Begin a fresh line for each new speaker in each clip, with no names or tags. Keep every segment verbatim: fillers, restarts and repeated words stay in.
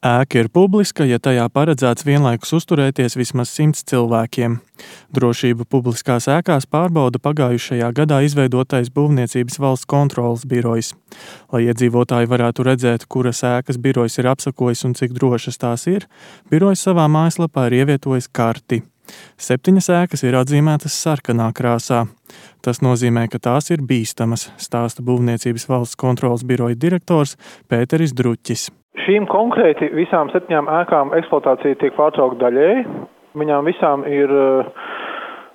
Ēka ir publiska, ja tajā paredzēts vienlaikus uzturēties vismaz simts cilvēkiem. Drošību publiskās ēkās pārbauda pagājušajā gadā izveidotais Būvniecības valsts kontroles birojs. Lai iedzīvotāji varētu redzēt, kuras ēkas birojs ir apsakojis un cik drošas tās ir, birojs savā mājaslapā ir ievietojis karti. Septiņas ēkas ir atzīmētas sarkanā krāsā. Tas nozīmē, ka tās ir bīstamas, stāsta Būvniecības valsts kontroles biroja direktors Pēteris Druķis.
Šīm konkrēti visām septiņām ēkām eksploatācija tiek pārtraukta daļēji. Viņām visām ir uh,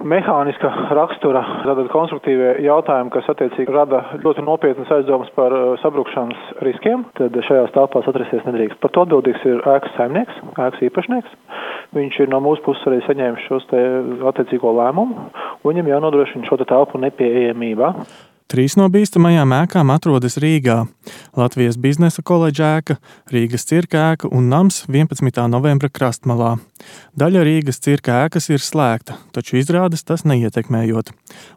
mehāniska rakstura, tātad konstruktīvie jautājumi, kas attiecīgi rada ļoti nopietnas aizdomas par uh, sabrukšanas riskiem. Tad šajās telpās atrasties nedrīkst. Par to atbildīgs ir ēkas saimnieks, ēkas īpašnieks. Viņš ir no mūsu puses arī saņēmis šos te attiecīgo lēmumu. Viņam jānodrošina šo te telpu nepieejamībā.
Trīs no bīstamajām ēkām atrodas Rīgā – Latvijas biznesa koledža ēka, Rīgas cirka ēka un nams vienpadsmitā novembra krastmalā. Daļa Rīgas cirka ēkas ir slēgta, taču izrādes tas neietekmējot.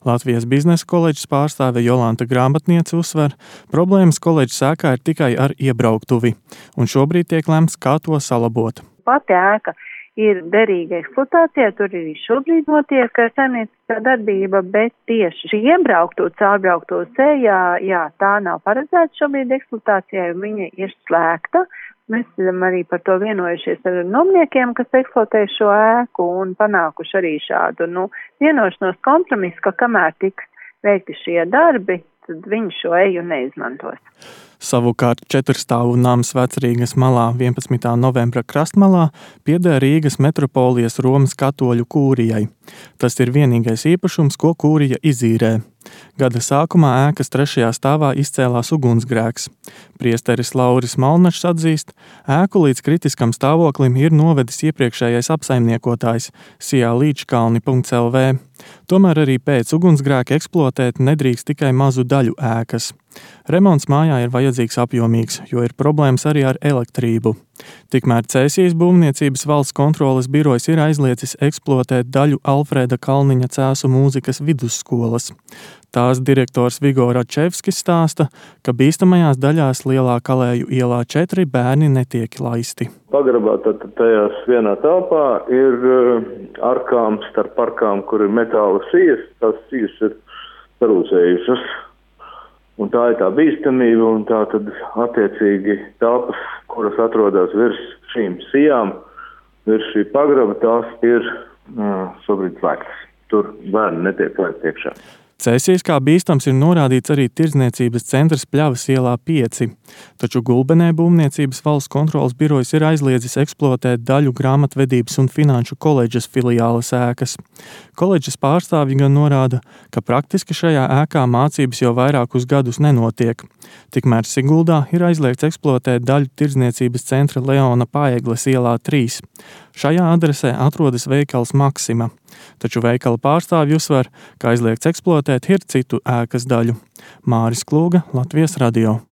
Latvijas biznesa koledžas pārstāve Jolanta Grāmatniece uzsver, problēmas koledžas ēkā ir tikai ar iebrauktuvi, un šobrīd tiek lemts, kā to salabot.
Pati ēka ir derīga eksploatācijā, tur arī šobrīd notiek saimnieciskā darbība, bet tieši šī iebraukto, caurbraukto sējā, jā, tā nav paredzēta šobrīd eksploatācijai, un viņa ir slēgta. Mēs esam arī par to vienojušies ar nomniekiem, kas eksploatē šo ēku, un panākuši arī šādu, nu, vienošanos kompromisu, ka kamēr tiks veikti šie darbi, tad viņi šo eju neizmantos.
Savukārt četrstāvu nams Vecrīgas malā vienpadsmitā novembra krastmalā pieder Rīgas metropolijas Romas katoļu kūrijai. Tas ir vienīgais īpašums, ko kūrija izīrē. Gada sākumā ēkas trešajā stāvā izcēlās ugunsgrēks. Priesteris Lauris Malnačs atzīst, ēku līdz kritiskam stāvoklim ir novedis iepriekšējais apsaimniekotājs Sijā Līčkalni punkts el vē. Tomēr arī pēc ugunsgrēka eksploatēt nedrīkst tikai mazu daļu ēkas. Remonts mājā ir vajadzīgs apjomīgs, jo ir problēmas arī ar elektrību. Tikmēr Cēsijas Būvniecības valsts kontroles birojs ir aizliecis eksploatēt daļu Alfrēda Kalniņa Cēsu mūzikas vidusskolas. Tās direktors Vigo Račevskis stāsta, ka bīstamajās daļās Lielā Kalēju ielā četri bērni netiek laisti.
Pagrabā tad tajās vienā telpā ir arkām starp arkām, kur ir metāla sijas, tās sijas ir sarūsējušas. Un tā ir tā bīstamība, un tā tad attiecīgi telpas, kuras atrodas virs šīm sijām, virs šī pagraba, tās ir uh, šobrīd slēgtas. Tur bērni netiek laist iekšā.
Cēsīs kā bīstams ir norādīts arī tirdzniecības centrs Pļavas ielā pieci, taču Gulbenē Būvniecības valsts kontroles birojs ir aizliedzis eksploatēt daļu grāmatvedības un finanšu koledžas filiāles ēkas. Koledžas pārstāvji gan norāda, ka praktiski šajā ēkā mācības jau vairākus gadus nenotiek. Tikmēr Siguldā ir aizliegts eksploatēt daļu tirdzniecības centra Leona Paegles ielā trīs. Šajā adresē atrodas veikals Maksima, taču veikala pārstāvji uzsver, ka aizliegts eksploatēt ir citu ēkas daļu. Māris Klūga, Latvijas radio.